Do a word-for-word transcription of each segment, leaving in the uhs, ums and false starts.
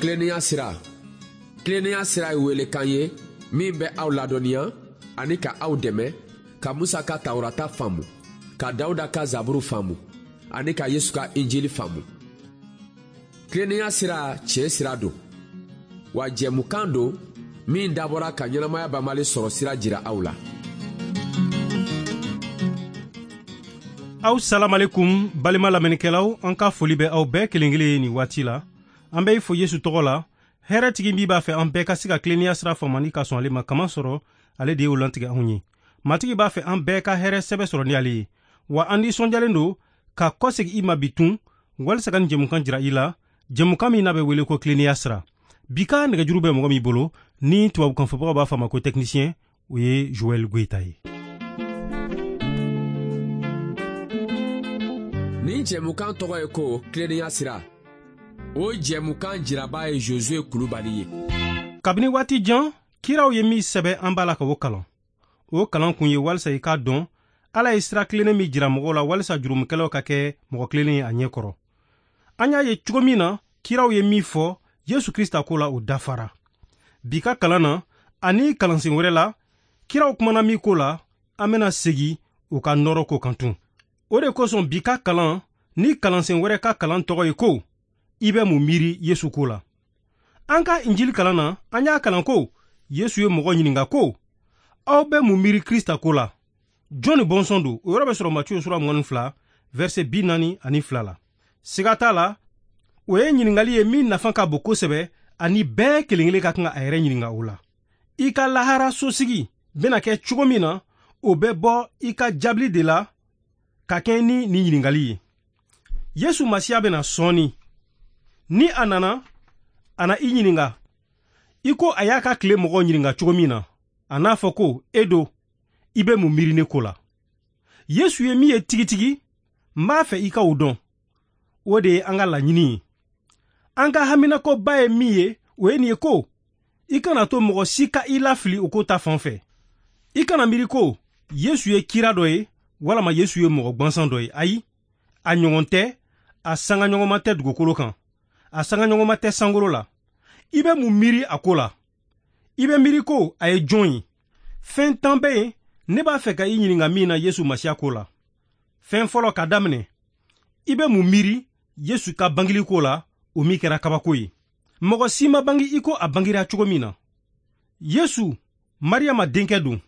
Tilennenya sira. Tilennenya sira ye welekan ye min bɛ aw ladɔnniya ani ka aw dɛmɛ ka Musa ka Tawurata faamu, ka Dawuda ka Zaburu faamu ani ka Yesu ka Injili faamu. Tilennenya sira tiɲɛ sira don, wa jɛmukan don min dabɔra ka ɲɛnamaya banbali sɔrɔ sira jira aw la. Aw salamalekum balima lamɛnnikɛlaw, an ka foli bɛ aw bɛɛ kelen kelen ye nin waati la. An bɛ i fo Yesu tɔgɔ la. Hɛrɛtigi min b'a fɛ an bɛɛ ka se ka tilennenya sira faamu ani ka sɔn ale ma, kama sɔrɔ ale de y'o lantigɛ anw ye. Matigi b'a fɛ an bɛɛ ka hɛrɛ sɛbɛ sɔrɔ ni ale ye. Wa an nisɔndiyalen don ka kɔsegin i ma bi tun walisa ka nin jɛmukan jira i la, jɛmukan min n'a bɛ wele ko tilennenya sira. Bi ka nɛgɛjuru bɛ mɔgɔ min bolo ni tubabukanfɔbagaw b'a fɔ a ma ko technicien, o ye Joël Goïta ye. Nin jɛmukan tɔgɔ ye ko tilennenya sira. O jɛmukan jiraba ye Josué Kulubali ye. Kabini waati jan, kiraw ye min sɛbɛ an b'a la ka o kalan. O kalan kun ye walisa i k'a dɔn Ala ye sira tilennen min jira mɔgɔw la walisa jurumukɛlaw ka kɛ mɔgɔ tilennen ye a ɲɛ kɔrɔ. An y'a ye cogo min na kiraw ye min fɔ Yesu Krista ko la, o dafara. Bi ka kalan na ani kalansen wɛrɛ la, kiraw kumana min ko la, an bɛna segin u ka nɔrɔ ko kan tun. O de kosɔn bi ka kalan ni kalansen wɛrɛ ka kalan tɔgɔ ye ko i bɛ mun miiri Yesu ko la. An ka Injili kalan na, an y'a kalan ko Yesu ye mɔgɔ ɲininka ko aw bɛ mun miiri Krista ko la? Jɔn ni bɔnsɔn don? O yɔrɔ bɛ sɔrɔ Matiyu sura mugan ni fila verset bi naani ani fila la. Siga t'a la, o ye ɲininkali ye min nafa ka bon kosɛbɛ ani bɛɛ kelen kelen ka kan ka a yɛrɛ ɲininka o la. I ka lahara sosigi bɛna kɛ cogo min na, o bɛ bɔ i ka jaabili de la ka kɛ ni nin ɲininkali ye. Yesu Masiya bɛna sɔɔni. Ni a nana, a na i ɲininka i ko a y'a ka tile mɔgɔw ɲininka cogo min na. A n'a fɔ ko e do, i bɛ mun miiri ne ko la? Yesu ye min ye tigitigi, n b'a fɛ i ka o dɔn. O de ye an ka laɲini ye. An ka haminakoba ye min ye, o ye nin ye ko i kana to mɔgɔ si ka i lafili o ko ta fan fɛ. I kana miiri ko Yesu ye kira dɔ ye walama Yesu ye mɔgɔ gwansan dɔ ye. Ayi, a ɲɔgɔn tɛ, a sangaɲɔgɔnma tɛ dugukolo kan, a sangaɲɔgɔnma tɛ sankolo la. I bɛ mun miiri a ko la? I bɛ miiri ko a ye jɔn ye? Fɛn tan bɛ yen ne b'a fɛ ka i ɲininka min na Yesu Masiya ko la. Fɛn fɔlɔ ka daminɛ, i bɛ mun miiri Yesu ka bangeli ko la, o min kɛra kabako ye? Mɔgɔ si ma bange i ko a bangira cogo min na. Yesu Mariyama denkɛ don.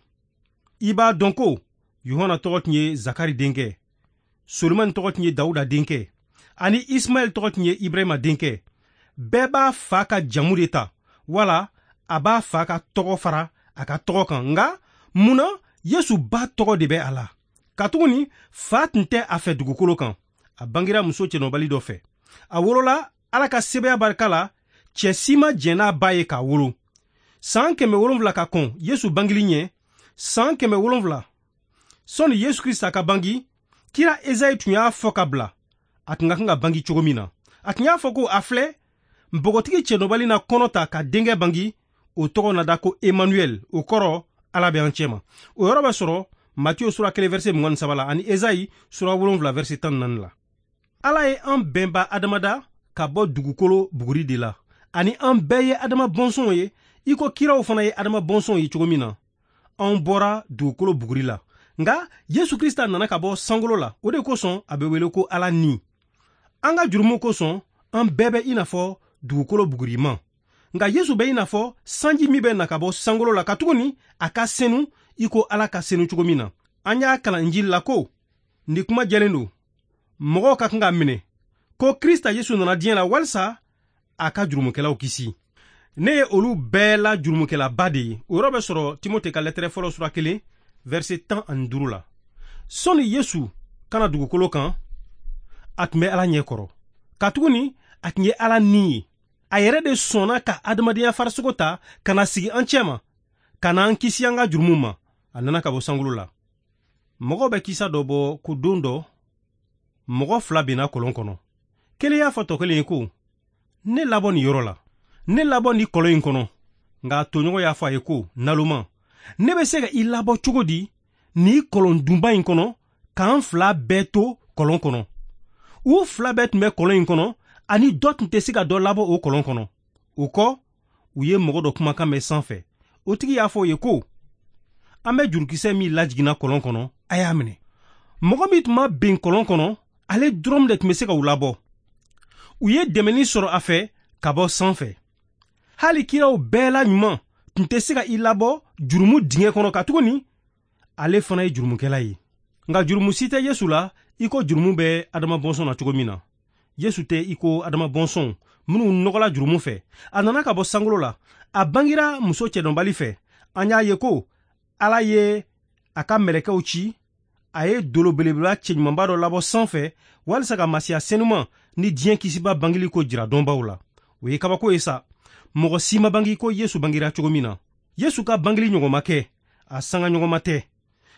I b'a dɔn ko Yohana tɔgɔ tun ye Zakari denkɛ, Solomani tɔgɔ tun ye Dawuda denkɛ, ani Ismaɛl tɔgɔ tun ye Ibrahima denkɛ. Bɛɛ b'a fa ka jamu de ta, wala a b'a fa ka tɔgɔ fara a ka tɔgɔ kan. Nka mun na Yesu ba tɔgɔ de bɛ a la? Katuguni fa tun tɛ a fɛ dugukolo kan. A bangira muso cɛnɔbali dɔ fɛ. A wolola Ala ka sebaaya barika la, cɛ si ma jɛn n'a ba ye k'a wolo. San kɛmɛ wolonfila ka kɔn Yesu bangeli ɲɛ, san kɛmɛ wolonfila sɔnni Yesu Krista ka bangi, kira Ezayi tun y'a fɔ ka bila a tun ka kan ka bangi cogo min na. A tun y'a fɔ ko a filɛ, npogotigi cɛnɔbali na kɔnɔ ta ka denkɛ bangi, o tɔgɔ na da ko Emmanuel, o kɔrɔ Ala bɛ an cɛma. O yɔrɔ bɛ sɔrɔ Matiyu sura kelen verset mugan ni saba la ani Ezayi sura wolonfila verset tan ni naani la. Ala ye an bɛnba Adama da ka bɔ dugukolo buguri de la, ani an bɛɛ ye Adama bɔnsɔnw ye, i ko kiraw fana ye Adama bɔnsɔnw ye cogo min na. Anw bɔra dugukolo buguri la, nka Yesu Krista nana ka bɔ sankolo la. O de kosɔn a bɛ wele ko Ala ni. An ka jurumu kosɔn, an bɛɛ bɛ i n'a fɔ dugukolo buguriman. Nka Yesu bɛ i n'a fɔ sanji min bɛ na ka bɔ sankolo la, katuguni a ka senu i ko Ala ka senu cogo min na. An y'a kalan Injili la ko nin kuma jɛlen don, mɔgɔw ka kan ka minɛ ko Krista Yesu nana diɲɛ la walisa a ka jurumukɛlaw kisi. Ne ye olu bɛɛ la jurumukɛlaba de ye. O yɔrɔ bɛ sɔrɔ Timote ka lɛtɛrɛ fɔlɔ sura kelen verset tan ani duuru la. Sɔnni Yesu kana dugukolo kan, a tun bɛ Ala ɲɛ kɔrɔ, katuguni a tun ye Ala ni ye. A yɛrɛ de sɔnna ka adamadenya farisogo ta ka na sigi an cɛma, ka na an kisi an ka jurumu ma. A nana ka bɔ sankolo la. Mɔgɔw bɛ kisa dɔ bɔ ko don dɔ mɔgɔ fila binna kɔlɔn kɔnɔ. Kelen y'a fɔ tɔ kelen ye ko ne labɔ nin yɔrɔ la, ne labɔ nin kɔlɔn in kɔnɔ. Nka tɔɲɔgɔn y'a fɔ a ye ko naloma, ne bɛ se ka i labɔ cogo di nin kɔlɔn dunba in kɔnɔ k'an fila bɛɛ to kɔlɔn kɔnɔ? U fila bɛɛ tun bɛ kɔlɔn in kɔnɔ, ani dɔ tun tɛ se ka dɔ labɔ o kɔlɔn kɔnɔ. O kɔ, u ye mɔgɔ dɔ kumakan mɛn sanfɛ. O tigi y'a fɔ o ye ko, an bɛ jurukisɛ min lajiginna kɔlɔn kɔnɔ, a y'a minɛ. Mɔgɔ min tun ma ben kɔlɔn kɔnɔ, ale dɔrɔn de tun bɛ se ka u labɔ. U ye dɛmɛni sɔrɔ a fɛ ka bɔ sanfɛ. Hali kiraw bɛɛ la ɲuman tun tɛ se ka i labɔ jurumu dingɛ kɔnɔ katuguni ale fana ye jurumukɛla ye. Nka jurumu si tɛ Yesu la i ko jurumu bɛ Adama bɔnsɔn na cogo min na. Yesu tɛ i ko Adama bɔnsɔn minnu nɔgɔla jurumu fɛ. A nana ka bɔ sankolo la, a bangira muso cɛdɔnbali fɛ. An y'a ye ko Ala ye a ka mɛlɛkɛw ci, a ye dolo belebeleba cɛɲumanba dɔ labɔ sanfɛ walisa ka Masiya senuman ni diɲɛ kisiba bangeli ko jira dɔnbaw la. O ye kabako ye sa. Mɔgɔ si ma bangi ko Yesu bangira cogo min na. Yesu ka bangeli ɲɔgɔn ma kɛ, a sanga ɲɔgɔn ma tɛ.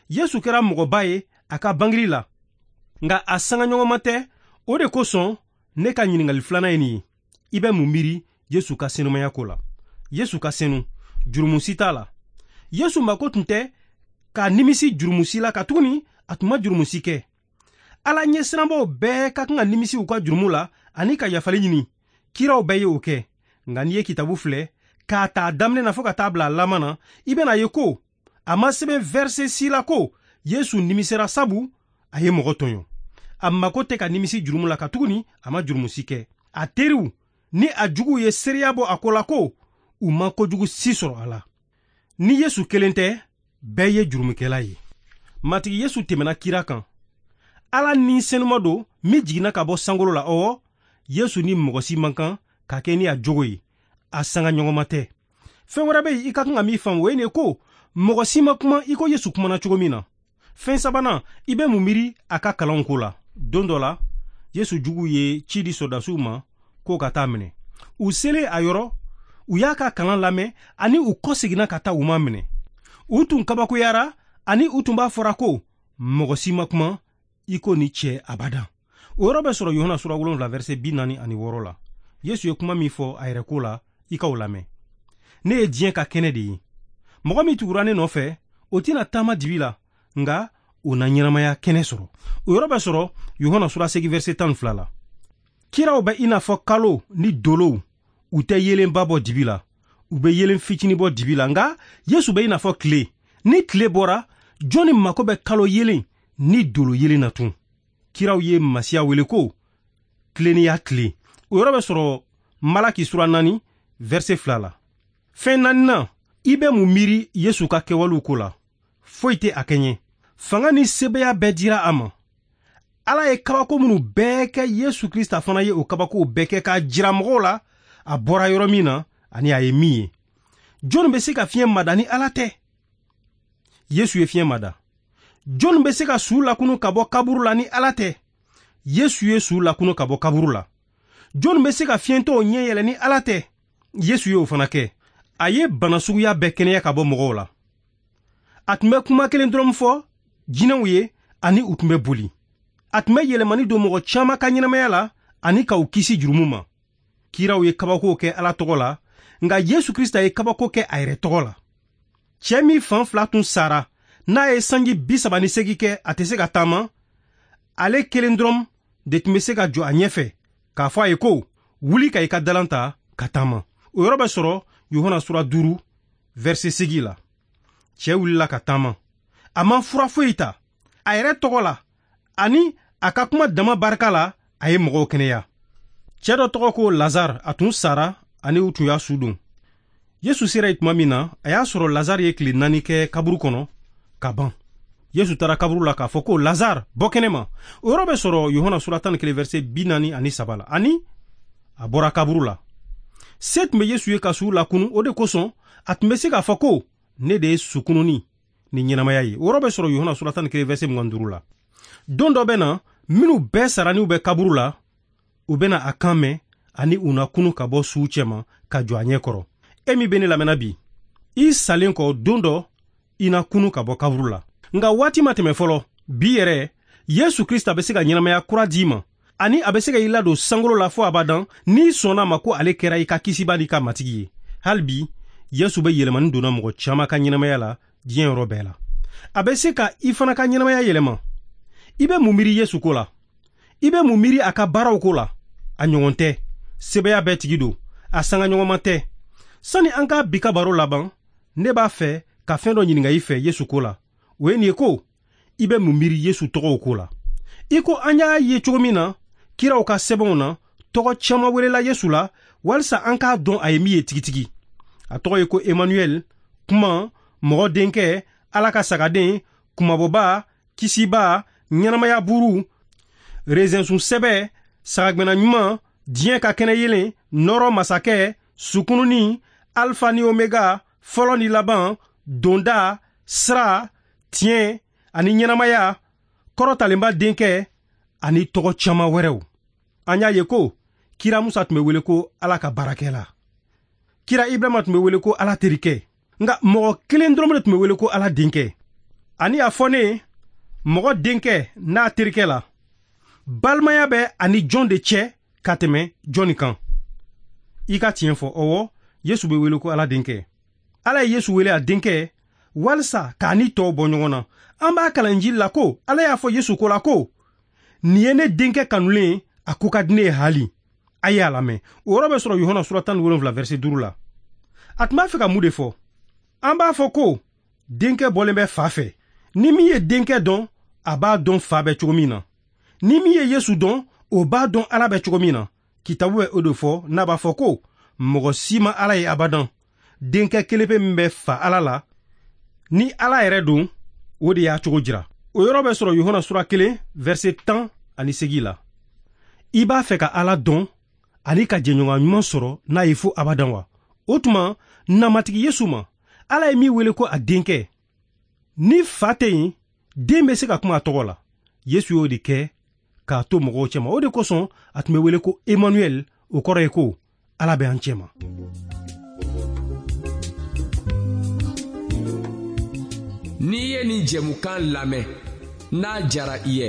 Yesu kɛra mɔgɔba ye a ka bangeli la, nka a sanga ɲɔgɔn ma tɛ. O de kosɔn ne ka ɲininkali filanan ye nin ye. I bɛ mun miiri Yesu ka senumaya ko la? Yesu ka senu, jurumu si t'a la. Yesu mako tun tɛ ka nimisi jurumu si la, katuguni a tun ma jurumu si kɛ. Ala ɲɛsiranbaw bɛɛ ka kan ka nimisi u ka jurumu la ani ka yafali ɲini. Kiraw bɛɛ ye o kɛ. Nka n'i ye kitabu filɛ k'a ta daminɛ na fo ka taa bila a laban na, i bɛna ye ko a ma sɛbɛn verset si la ko Yesu nimisera sabu a ye mɔgɔ tɔɲɔ. A mako tɛ ka nimisi jurumu la, katuguni a ma jurumu si kɛ. A teriw ni a juguw ye seereya bɔ a ko la ko u ma kojugu si sɔrɔ a la. Ni Yesu kelen tɛ, bɛɛ ye jurumukɛla ye. Matigi Yesu tɛmɛna kira kan. Ala ni senuma don min jiginna ka bɔ sankolo la. Ɔwɔ, Yesu ni mɔgɔ si man kan ka kɛ ni a jogo ye, a sanga ɲɔgɔnma tɛ. Fɛn wɛrɛ bɛ yen i ka kan ka min faamu, o ye nin ye ko mɔgɔ si ma kuma i ko Yesu kumana cogo min na. Fɛn sabanan, i bɛ mun miiri a ka kalanw ko la? Don dɔ la, Yesu juguw ye ci di sɔrɔdasiw ma k'o ka taa minɛ. U selen a yɔrɔ, u y'a ka kalan lamɛn ani u kɔseginna ka taa u ma minɛ. U tun kabakoyara ani u tun b'a fɔra ko mɔgɔ si ma kuma i ko ni cɛ abadan. O yɔrɔ bɛ sɔrɔ Yohana sura wolonwula verset bi naani ani wɔɔrɔ la. Yesu ye kuma min fɔ a yɛrɛ ko la, i k'o lamɛn. Ne ye diɲɛ ka kɛnɛ de ye. Mɔgɔ min tugura ne nɔfɛ, o tɛna taama dibi la, nka o na ɲɛnamaya kɛnɛ sɔrɔ. O yɔrɔ bɛ sɔrɔ Yohana sura seegin verset tan ni fila la. Kiraw bɛ i n'a fɔ kalo ni dolow, u tɛ yeelenba bɔ dibi la, u bɛ yeelen fitinin bɔ dibi la. Nka Yesu bɛ i n'a fɔ tile. Ni tile bɔra, jɔnni mako bɛ kalo yeelen ni dolo yeelen na tun? Kiraw ye Masiya wele ko tilennenya tile. O yɔrɔ bɛ sɔrɔ Malaki sura naani verset fila la. Fɛn naaninan, i bɛ mun miiri Yesu ka kɛwalew ko la? Foyi tɛ a kɛɲɛ. Fanga ni sebaaya bɛɛ dira a ma. Ala ye kabako minnu bɛɛ kɛ, Yesu Krista fana ye o kabakow bɛɛ kɛ k'a jira mɔgɔw la a bɔra yɔrɔ min na ani a ye min ye. Jɔnni bɛ se ka fiɲɛ mada ni Ala tɛ? Yesu ye fiɲɛ mada. Jɔnni bɛ se ka su lakunu ka bɔ kaburu la ni Ala tɛ? Yesu ye su lakunu ka bɔ kaburu la. Jɔnni bɛ se ka fiɲɛtɔw ɲɛ yɛlɛ ni Ala tɛ? Yesu ye o fana kɛ. A ye bana suguya bɛɛ kɛnɛya ka bɔ mɔgɔw la. A tun bɛ kuma kelen dɔrɔn fɔ jinɛw ye ani u tun bɛ boli. A tun bɛ yɛlɛmani don mɔgɔ caman ka ɲɛnamaya la ani ka u kisi jurumu ma. Kiraw ye kabakow kɛ Ala tɔgɔ la, nka Yesu Krista ye kabako kɛ a yɛrɛ tɔgɔ la. Cɛ min fan fila tun sara, n'a ye sanji bi saba ni seegin kɛ a tɛ se ka taama, ale kelen dɔrɔn de tun bɛ se ka jɔ a ɲɛfɛ k'a fɔ a ye ko wuli ka i ka dalan ta ka taama. O yɔrɔ bɛ sɔrɔ Yohana sura duuru verset seegin la. Cɛ wulila ka taama. A ma fura foyi ta. A yɛrɛ tɔgɔ la ani a ka kuma dama barika la, a ye mɔgɔw kɛnɛya. Cɛ dɔ tɔgɔ ko Lazare, a tun sara ani u tun y'a su don. Yesu sera yen tuma min na, a y'a sɔrɔ Lazare ye tile naani kɛ kaburu kɔnɔ ka ban. Yesu taara kaburu la k'a fɔ ko Lazare, bɔ kɛnɛ ma. O yɔrɔ bɛ sɔrɔ Yohana sura tan ni kelen verset bi naani ani saba la. Ani a bɔra kaburu la. Se tun bɛ Yesu ye ka su lakunu, o de kosɔn a tun bɛ se k'a fɔ ko ne de ye sukununi ni ɲɛnamaya ye. O yɔrɔ bɛ sɔrɔ Yohana sura tan ni kelen verset mugan ni duuru la. Don dɔ bɛ na, minnu bɛɛ sara n'u bɛ kaburu la, u bɛna a kan mɛn ani u na kunu ka bɔ suw cɛma ka jɔ a ɲɛ kɔrɔ. E min bɛ ne lamɛnna bi, i salen kɔ don dɔ i na kunu ka bɔ kaburu la. Nka waati ma tɛmɛ fɔlɔ. Bi yɛrɛ, Yesu Krista bɛ se ka ɲɛnamaya kura d'i ma, ani a bɛ se ka i ladon sankolo la fo abadan n'i sɔnna a ma ko ale kɛra i ka kisiba n'i ka matigi ye. Hali bi, Yesu bɛ yɛlɛmani donna mɔgɔ caman ka ɲɛnamaya la diɲɛ yɔrɔ bɛɛ la. A bɛ se ka i fana ka ɲɛnamaya yɛlɛma. I bɛ mun miiri Yesu ko la? I bɛ mun miiri a ka baaraw ko la? A ɲɔgɔn tɛ. Sebaaya bɛɛ tigi don. a sangaɲɔgɔnma tɛ. Sani an ka bi ka baro laban, ne b'a fɛ ka fɛn dɔ ɲininka i fɛ Yesu ko la. O ye nin ye ko, i bɛ mun miiri Yesu tɔgɔw ko la? I ko an y'a ye cogo min na, kiraw ka sɛbɛnw na, tɔgɔ caman welela Yesu la walisa an k'a dɔn a ye min ye tigitigi. A tɔgɔ ye ko Emmanuel, kuma, mɔgɔ denkɛ, Ala ka sagaden, kumabɔba, kisiba, ɲɛnamaya buru, rezensun sɛbɛ, sagagɛnna ɲuman, diɲɛ ka kɛnɛ yelen, nɔrɔ masakɛ, sukununi, alfa ni omega, fɔlɔ ni laban, donda, sira, tiɲɛ ani ɲɛnamaya, kɔrɔtalenba denkɛ ani tɔgɔ caman wɛrɛw. An y'a ye ko kira Musa tun bɛ wele ko Ala ka baarakɛla. Kira Ibrahima tun bɛ wele ko Ala terikɛ. Nka mɔgɔ kelen dɔrɔn de tun bɛ wele ko Ala denkɛ. Ani a fɔ ne mɔgɔ denkɛ n'a terikɛ la, balimaya bɛ ani jɔn de cɛ ka tɛmɛ jɔnni kan? I ka tiɲɛ fɔ, ɔwɔ, Yesu bɛ wele ko Ala denkɛ. Ala ye Yesu wele a denkɛ walisa k'a ni tɔw bɔ ɲɔgɔn na. An b'a kalan Injili la ko Ala y'a fɔ Yesu ko la ko, nin ye ne denkɛ kanulen, a ko ka di ne ye hali. A ye a lamɛn. O yɔrɔ bɛ sɔrɔ Yohana sura tan ni wolonwula verset duuru la. A tun b'a fɛ ka mun de fɔ? An b'a fɔ ko denkɛ bɔlen bɛ fa fɛ. Ni min ye denkɛ dɔn, a b'a dɔn fa bɛ cogo min na. Ni min ye Yesu dɔn, o b'a dɔn Ala bɛ cogo min na. Kitabu bɛ o de fɔ n'a b'a fɔ ko mɔgɔ si ma Ala ye abadan. Denkɛ kelen pe min bɛ fa Ala la, ni Ala yɛrɛ don, o de y'a cogo jira. O yɔrɔ bɛ sɔrɔ Yohana sura kelen verset tan ani segin la. I b'a fɛ ka Ala dɔn ani ka jɛɲɔgɔn ɲuman sɔrɔ n'a ye fo abadan wa? O tuma, na Matigi Yesu ma, Ala ye min wele ko a denkɛ. Ni fa tɛ yen, den bɛ se ka kuma a tɔgɔ la. Yesu y'o de kɛ k'a to mɔgɔw cɛma. O de kosɔn a tun bɛ wele ko Emmanuel, o kɔrɔ ye ko Ala bɛ an cɛma. N'i ye nin jɛmukan lamɛn, n'a jara i ye,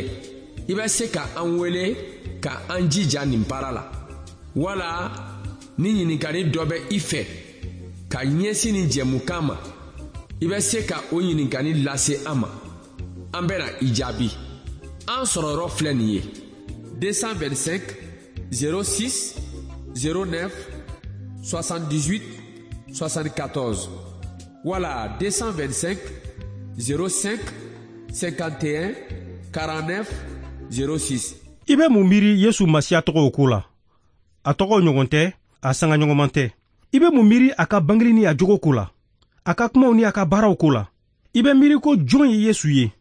i bɛ se ka an wele ka an jija nin baara la. Wala ni ɲininkali dɔ bɛ i fɛ ka ɲɛsin nin jɛmukan ma, i bɛ se ka o ɲininkali lase an ma. An bɛna i jaabi. An sɔrɔyɔrɔ filɛ nin ye: deux cent vingt-cinq zéro six zéro neuf soixante-dix-huit soixante-quatorze wala deux cent vingt-cinq zéro cinq cinquante et un quarante-neuf zéro six. I bɛ mun miiri Yesu Masiya tɔgɔw ko la? A tɔgɔw ɲɔgɔn tɛ, a sangaɲɔgɔnman tɛ. I bɛ mun miiri a ka bangeli ni a jogo ko la? A ka kumaw ni a ka baaraw ko la? I bɛ miiri ko jɔn ye Yesu ye?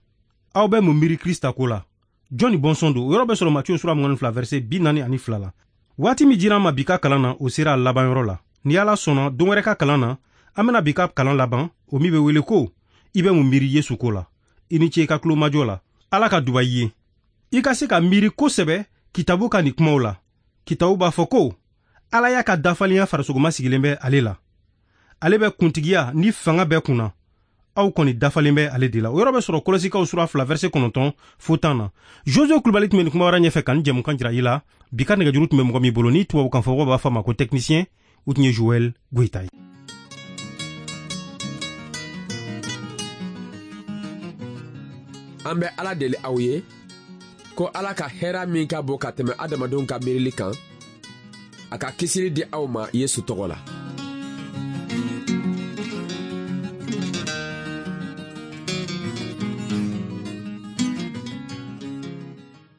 Aw bɛ mun miiri Krista ko la? Jɔn ni bɔnsɔn don? O yɔrɔ bɛ sɔrɔ Matiyo sura mugan ni fila verset bi naani ani fila la. Waati min dira an ma bi ka kalan na, o sera a labanyɔrɔ la. Ni Ala sɔnna, don wɛrɛ ka kalan na, an bɛna bi ka kalan laban, o min bɛ wele ko i bɛ mun miiri Yesu ko la. I ni ce i ka tulomajɔ la. Ala ka duba i ye. I ka se ka miiri kosɛbɛ kitabu ka nin kumaw la. Kitabu b'a fɔ ko Ala y'a ka dafalenya farisogoma sigilen bɛ ale la. Ale bɛ kuntigiya ni fanga bɛɛ kunna. Aw kɔni dafalen bɛ ale de la. O yɔrɔ bɛ sɔrɔ Kolosikaw sura fila verset kɔnɔntɔn fo tan na. Josue Kulubali tun bɛ nin kuma wɛrɛ ɲɛfɛ ka nin jɛmukan jira i la. Bi ka nɛgɛjuru tun bɛ mɔgɔ min bolo ni tubabukan fɔbagaw b'a fɔ a ma ko technicien, o tun ye Joël Goyita ye. An bɛ Ala deli aw ye ko Ala ka hɛrɛ min ka bon ka tɛmɛ adamadenw ka miirili kan, a ka kisili di aw ma Yesu tɔgɔ la.